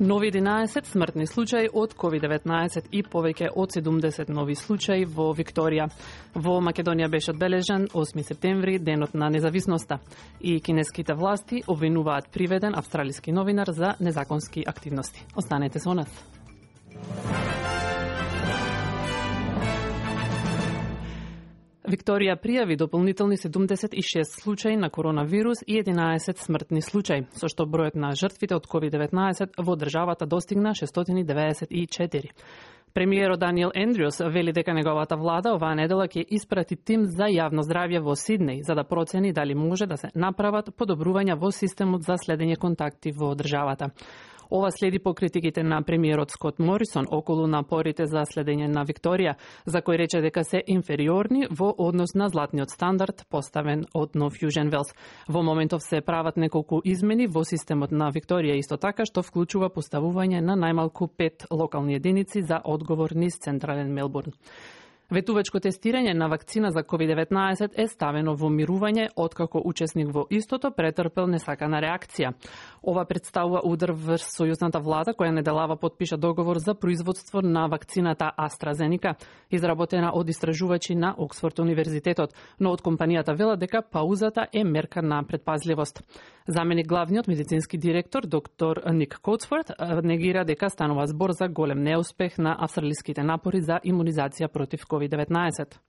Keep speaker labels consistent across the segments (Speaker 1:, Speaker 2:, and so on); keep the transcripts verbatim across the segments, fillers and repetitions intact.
Speaker 1: Нови единаесет смртни случаи од ковид деветнаесет и повеќе од седумдесет нови случаи во Викторија. Во Македонија беше одбележан осми септември, денот на независноста, и кинеските власти обвинуваат приведен австралиски новинар за незаконски активности. Останете со нас. Викторија пријави дополнителни седумдесет и шест случаи на коронавирус и единаесет смртни случаи, со што бројот на жртвите од ковид деветнаесет во државата достигна шестстотини деведесет и четири. Премиерот Даниел Ендрюс вели дека неговата влада оваа недела ќе испрати тим за јавно здравје во Сиднеј за да процени дали може да се направат подобрувања во системот за следење контакти во државата. Ова следи по критиките на премиерот Скот Морисон околу напорите за следење на Викторија, за кој рече дека се инфериорни во однос на златниот стандард поставен од Нов Јужен Велс. Во моментов се прават неколку измени во системот на Викторија, исто така што вклучува поставување на најмалку пет локални единици за одговор низ централен Мелбурн. Ветувачко тестирање на вакцина за ковид деветнаесет е ставено во мирување откако учесник во истото претрпел несакана реакција. Ова представува удар врз сојузната влада која неделава подпиша договор за производство на вакцината AstraZeneca, изработена од истражувачи на Оксфорд универзитетот, но од компанијата велат дека паузата е мерка на предпазливост. Заменик главниот медицински директор доктор Ник Коутсфорд негира дека станува збор за голем неуспех на австралиските напори за имунизација против ковид деветнаесет.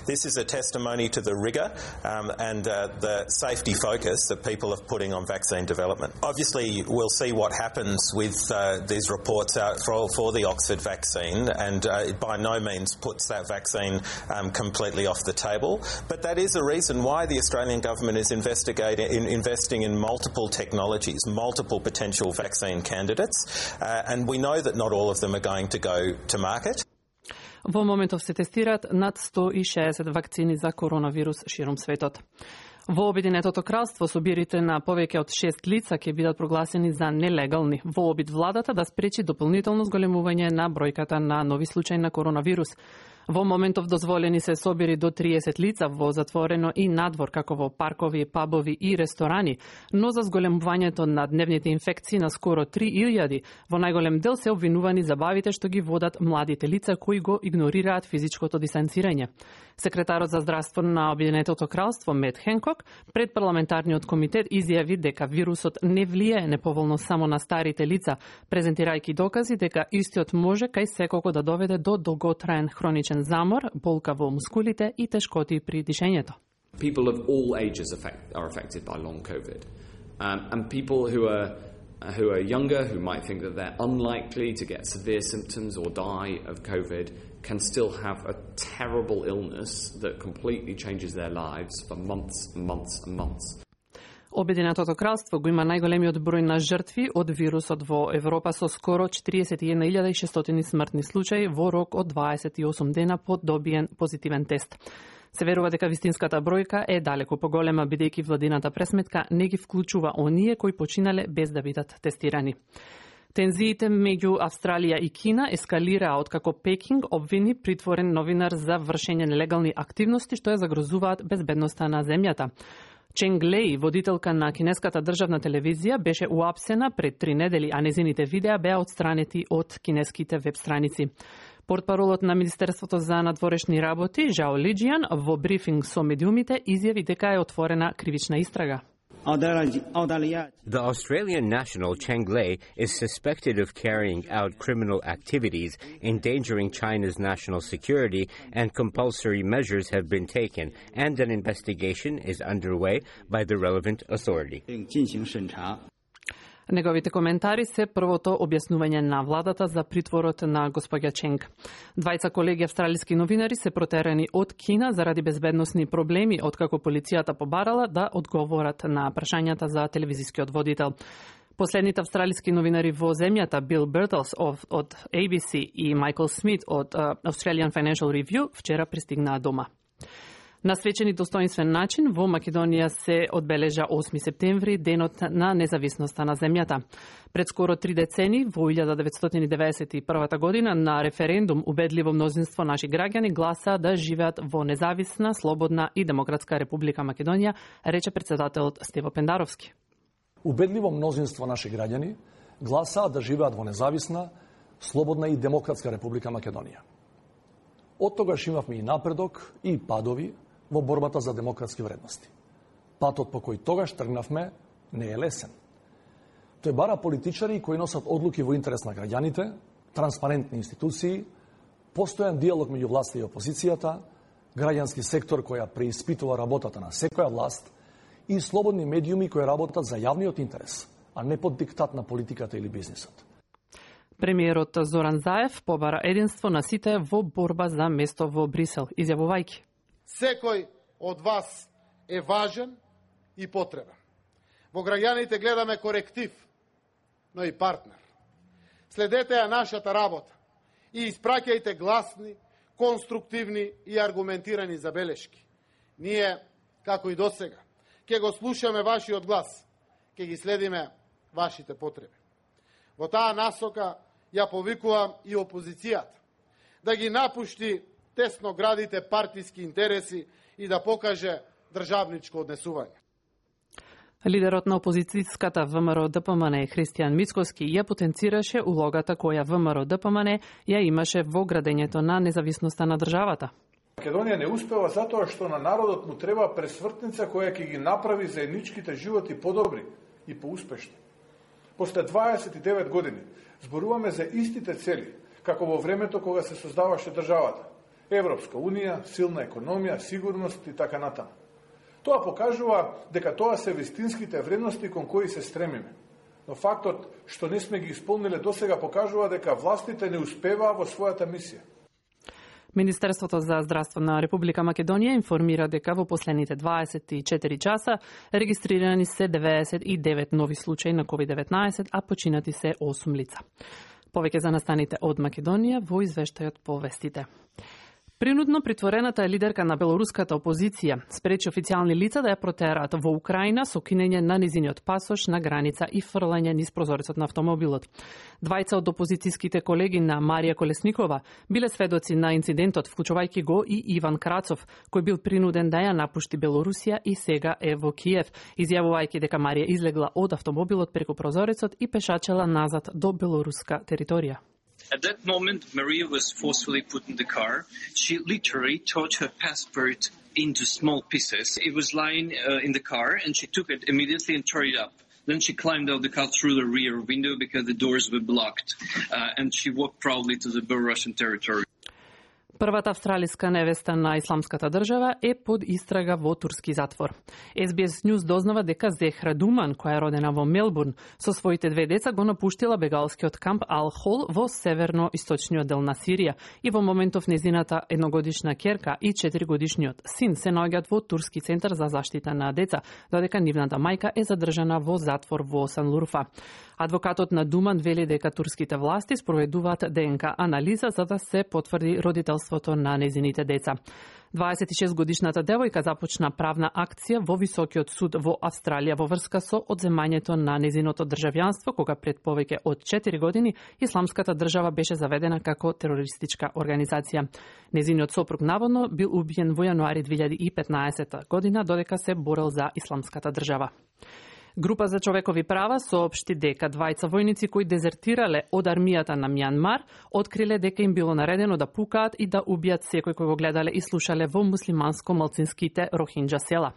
Speaker 2: This is a testimony to the rigour um, and uh, the safety focus that people are putting on vaccine development. Obviously, we'll see what happens with uh, these reports out for, for the Oxford vaccine, and uh, it by no means puts that vaccine um, completely off the table. But that is a reason why the Australian government is investigating, in, investing in multiple technologies, multiple potential vaccine candidates, uh, and we know that not all of them are going to go to market.
Speaker 1: Во моментов се тестираат над сто и шеесет вакцини за коронавирус широм светот. Во Обединетото кралство собирите на повеќе од шест лица ќе бидат прогласени за нелегални во обид владата да спречи дополнително зголемување на бројката на нови случаи на коронавирус. Во моментов дозволени се собири до триесет лица во затворено и надвор, како во паркови, пабови и ресторани, но за зголемувањето на дневните инфекции на скоро три илјади, во најголем дел се обвинувани забавите што ги водат младите лица кои го игнорираат физичкото дистанцирање. Секретарот за здравство на Обединетото кралство Мет Хенкок пред парламентарниот комитет изјави дека вирусот не влијае неповолно само на старите лица, презентирајќи докази дека истиот може кај секого да доведе до долготраен хроничен замор, болка во мускулите и тешкоти при дишењето.
Speaker 3: People of all ages affect, are affected by long COVID. Um, and people who are who are younger, who might think that they're unlikely to get severe symptoms or die of COVID, can still have a terrible illness that completely changes their lives for months and months and months.
Speaker 1: Обединетото кралство го има најголемиот број на жртви од вирусот во Европа со скоро четириесет и една илјада и шестстотини смртни случаи во рок од дваесет и осум дена по добиен позитивен тест. Се верува дека вистинската бројка е далеку поголема, бидејќи владината пресметка не ги вклучува оние кои починале без да бидат тестирани. Тензиите меѓу Австралија и Кина ескалираа откако Пекинг обвини притворен новинар за вршење нелегални активности што ја загрозуваат безбедноста на земјата. Ченг Леј, водителка на кинеската државна телевизија, беше уапсена пред три недели, а незините видеа беа отстранети од кинеските веб страници. Портпаролот на Министерството за надворешни работи, Жао Лиџијан, во брифинг со медиумите изјави дека е отворена кривична истрага.
Speaker 4: The Australian national Cheng Lei is suspected of carrying out criminal activities, endangering China's national security, and compulsory measures have been taken, and an investigation is underway by the relevant authority.
Speaker 1: Неговите коментари се првото објаснување на владата за притворот на господја Ченг. Двајца колеги австралиски новинари се протерани од Кина заради безбедносни проблеми, откако полицијата побарала да одговорат на прашањата за телевизискиот водител. Последните австралиски новинари во земјата, Бил Бертлс од A B C и Майкл Смит од Australian Financial Review, вчера пристигнаа дома. На свечени достоинствен начин во Македонија се одбележа осми септември, денот на независноста на земјата. Пред скоро три децени, во илјада деветстотини деветдесет и прва година, на референдум убедливо мнозинство наши граѓани гласа да живеат во независна, слободна и демократска република Македонија, рече председателот Стево Пендаровски.
Speaker 5: Убедливо мнозинство наши граѓани гласаа да живеат во независна, слободна и демократска Република Македонија. Од тогаш имавме и напредок и падови во борбата за демократски вредности. Патот по кој тогаш тргнавме не е лесен. Тој бара политичари кои носат одлуки во интерес на граѓаните, транспарентни институции, постојан диалог меѓу власта и опозицијата, граѓански сектор која преиспитува работата на секоја власт и слободни медиуми кои работат за јавниот интерес, а не под диктат на политиката или бизнисот.
Speaker 1: Премиерот Зоран Заев побара единство на сите во борба за место во Брисел, изјавувајќи:
Speaker 6: Секој од вас е важен и потребен. Во граѓаните гледаме коректив, но и партнер. Следете ја нашата работа и испраќајте гласни, конструктивни и аргументирани забелешки. Ние, како и досега, ќе го слушаме вашиот глас, ќе ги следиме вашите потреби. Во таа насока ја повикувам и опозицијата да ги напушти тесно градите партиски интереси и да покаже државничко однесување.
Speaker 1: Лидерот на опозицијската ВМРО Д П М Н Христијан Мицкоски ја потенцираше улогата која ВМРО Д П М Н ја имаше во градењето на независноста на државата.
Speaker 7: Македонија не успева затоа што на народот му треба пресвртница која ќе ги направи заедничките животи подобри и поуспешни. После дваесет и девет години зборуваме за истите цели, како во времето кога се создаваше државата. Европска унија, силна економија, сигурност и така натаму. Тоа покажува дека тоа се вистинските вредности кон кои се стремиме. Но фактот што не сме ги исполниле досега покажува дека властите не успеваа во својата мисија.
Speaker 1: Министерството за здравство на Република Македонија информира дека во последните дваесет и четири часа регистрирани се деветдесет и девет нови случаи на ковид деветнаесет, а починати се осум лица. Повеќе за настаните од Македонија во извештајот по вестите. Принудно притворената лидерка на белоруската опозиција спречи официјални лица да ја протераат во Украина со кинење на низиниот пасош на граница и фрлање низ прозорецот на автомобилот. Двајца од опозицијските колеги на Марија Колесникова биле сведоци на инцидентот, вклучувајќи го и Иван Крацов, кој бил принуден да ја напушти Белорусија и сега е во Киев, изјавувајќи дека Марија излегла од автомобилот преку прозорецот и пешачела назад до белоруска територија.
Speaker 8: At that moment, Maria was forcefully put in the car. She literally tore her passport into small pieces. It was lying uh, in the car, and she took it immediately and tore it up. Then she climbed out the car through the rear window because the doors were blocked, uh, and she walked proudly to the Belarusian territory.
Speaker 1: Првата австралиска невеста на исламската држава е под истрага во турски затвор. Ес Би Ес News дознава дека Зехра Думан, која е родена во Мелбурн, со своите две деца го напуштила бегалскиот камп Ал-Хол во северно-источниот дел на Сирија и во моментов незината едногодишна ќерка и четиригодишниот син се наоѓаат во турски центар за заштита на деца, додека нивната мајка е задржана во затвор во Санлурфа. Адвокатот на Думан вели дека турските власти спроведуваат Д Н К анализа за да се потврди родителството на незините деца. дваесет и шест годишната девојка започна правна акција во Високиот суд во Австралија во врска со одземањето на незиното државјанство, кога пред повеќе од четири години исламската држава беше заведена како терористичка организација. Незиниот сопруг наводно бил убиен во јануари две илјади и петнаесета година додека се борел за исламската држава. Група за човекови права соопшти дека двајца војници кои дезертирале од армијата на Мјанмар откриле дека им било наредено да пукаат и да убијат секој кој го гледале и слушале во муслиманско-малцинските Рохинџа села.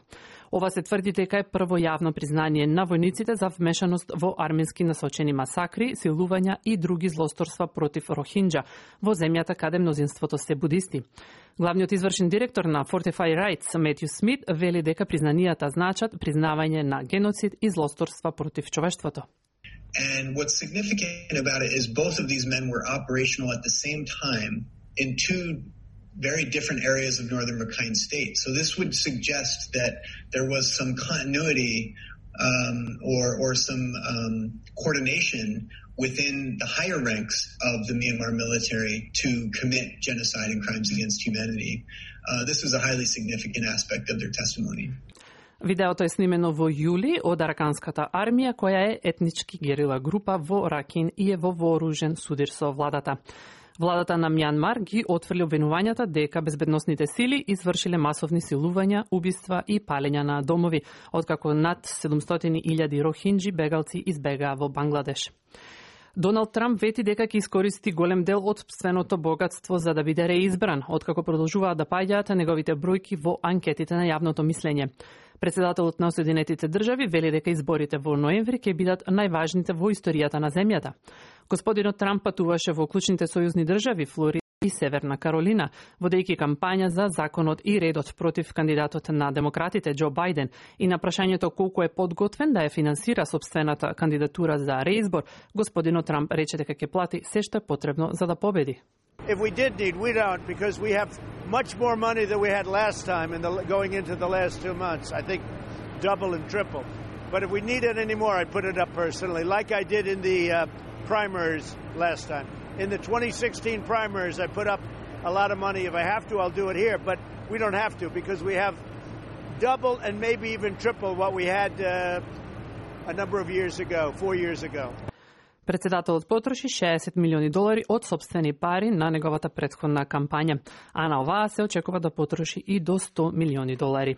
Speaker 1: Ова се тврди дека е прво јавно признание на војниците за вмешаност во арменски насочени масакри, силувања и други злосторства против Рохинџа во земјата каде мнозинството се будисти. Главниот извршен директор на Fortify Rights, Метју Смит, вели дека признанијата значат признавање на геноцид и злосторства против човештвото.
Speaker 9: And what's significant about it is both of these men were operational at the same time in two very different areas of northern Rakhine State. So this would suggest that there was some continuity um, or, or some um, coordination within the higher ranks of the Myanmar military to commit genocide and crimes against humanity. Uh, this was a highly significant aspect of their testimony.
Speaker 1: Видеото е снимено во јули од Араканската армија, која е етнички герила група во Ракин и е во вооружен судир со владата. Владата на Мјанмар ги отфрли обвинувањата дека безбедносните сили извршиле масовни силувања, убиства и палења на домови, откако над седумстотини илјади рохинџи бегалци избегаа во Бангладеш. Доналд Трамп вети дека ќе искористи голем дел од сопственото богатство за да биде реизбран, откако продолжуваат да паѓаат неговите бројки во анкетите на јавното мислење. Председателот на Соединетите држави вели дека изборите во ноември ќе бидат најважните во историјата на земјата. Господинот Трамп патуваше во клучните сојузни држави Флорида и Северна Каролина, водејќи кампања за законот и редот против кандидатот на демократите Џо Бајден и на прашањето колку е подготвен да ја финансира сопствената кандидатура за реизбор, господинот Трамп рече дека ќе плати се што е потребно за да победи.
Speaker 10: If we did need, we don't, because we have much more money than we had last time in the, going into the last two months. I think double and triple. But if we need it anymore, I'd put it up personally, like I did in the uh, primaries last time. In the twenty sixteen primaries, I put up a lot of money. If I have to, I'll do it here. But we don't have to, because we have double and maybe even triple what we had uh, a number of years ago, four years ago.
Speaker 1: Председателот потроши шеесет милиони долари од сопствени пари на неговата претходна кампања, а на оваа се очекува да потроши и до сто милиони долари.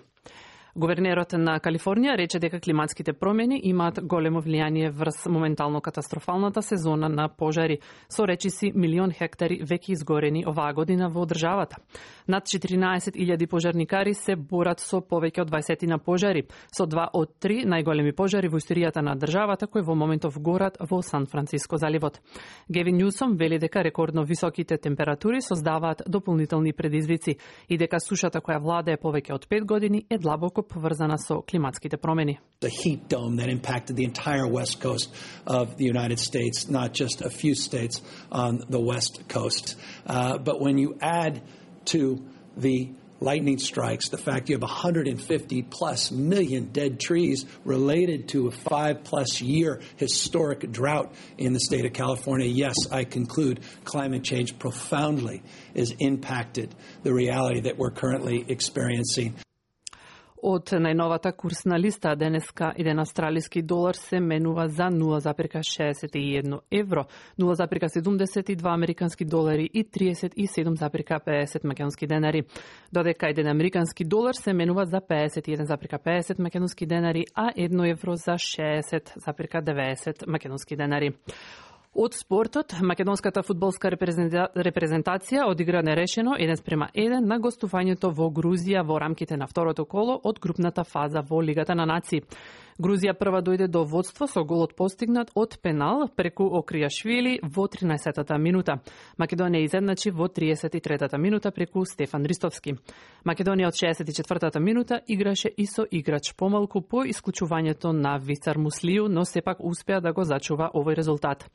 Speaker 1: Гувернерот на Калифорнија рече дека климатските промени имаат големо влијание врз моментално катастрофалната сезона на пожари, со речиси милион хектари веќе изгорени оваа година во државата. Над четиринаесет илјади пожарникари се борат со повеќе од дваесет пожари, со два од три најголеми пожари во историјата на државата кои во моментов горат во Сан Франциско заливот. Гевин Њусом вели дека рекордно високите температури создаваат дополнителни предизвици и дека сушата која владее повеќе од пет години е длабоко поврзана со климатските промени.
Speaker 11: The heat dome that impacted the entire west coast of the United States, not just a few states on the west coast. Uh, but when you add to the lightning strikes, the fact you have one hundred fifty plus million dead trees related to a five plus year historic drought in the state of California, yes, I conclude climate change profoundly is impacted the reality that we're currently experiencing.
Speaker 1: Од најновата курсна листа денеска еден австралиски долар се менува за нула запирка шеесет и едно евро, нула запирка седумдесет и два американски долари и триесет и седум запирка пеесет македонски денари. Додека еден американски долар се менува за пеесет и еден запирка пеесет македонски денари, а едно евро за шеесет запирка деветдесет македонски денари. Од спортот, македонската фудбалска репрезентација одигра нерешено еден спрема еден на гостувањето во Грузија во рамките на второто коло од групната фаза во Лигата на нации. Грузија прва дојде до водство со голот постигнат од пенал преку Окријашвили во тринаесеттата минута. Македонија изедначи во триесет и третата минута преку Стефан Ристовски. Македонија од шеесет и четвртата минута играше и со играч помалку по исклучувањето на Вицар Муслију, но сепак успеа да го зачува овој резултат.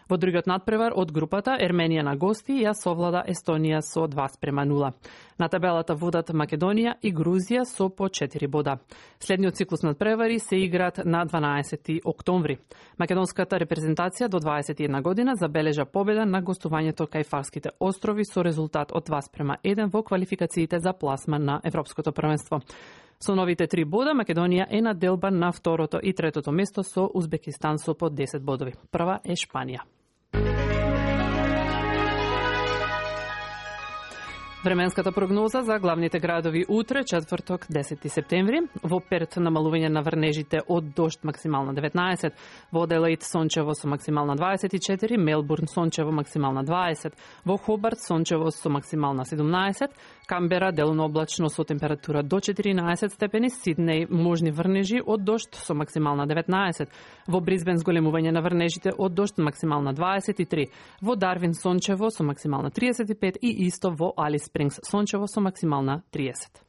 Speaker 1: Во другиот надпревар од групата Ерменија на гости ја совлада Естонија со два спрема нула. На табелата водат Македонија и Грузија со по четири бода. Следниот циклус надпревари се играат на дванаесети октомври. Македонската репрезентација до дваесет и една година забележа победа на гостувањето кај Фарските острови со резултат од два спрема еден во квалификациите за пласма на Европското првенство. Со новите три бода, Македонија е на делба на второто и третото место со Узбекистан со по десет бодови. Прва е Шпанија. Временската прогноза за главните градови утре, четврток, десети септември. Во Перт намалување на врнежите од дожд максимална деветнаесет, во Аделаид сончево со максимална дваесет и четири, Мелбурн сончево максимална дваесет, во Хобарт сончево со максимална седумнаесет, Камбера делно облачно со температура до четиринаесет степени, Сиднеј можни врнежи од дожд со максимална деветнаесет, во Бризбен зголемување на врнежите од дожд максимална дваесет и три, во Дарвин сончево со максимална триесет и пет и исто во Алис Спрингс сончево со максимална триесет.